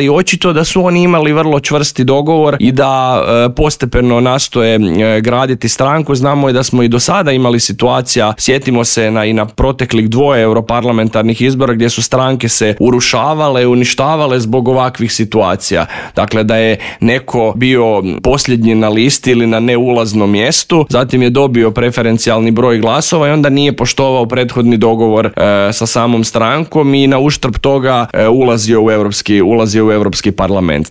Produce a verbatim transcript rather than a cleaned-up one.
I očito da su oni imali vrlo čvrsti dogovor i da e, postepeno nastoje e, graditi stranku. Znamo i da smo i do sada imali situacija, sjetimo se na, i na proteklih dvoje europarlamentarnih izbora gdje su stranke se urušavale, uništavale zbog ovakvih situacija. Dakle, da je neko bio posljednji na listi ili na neulaznom mjestu, zatim je dobio preferencijalni broj glasova i onda nije poštovao prethodni dogovor e, sa samom strankom i na uštrb toga e, ulazio u europski ulazio u Europski parlament.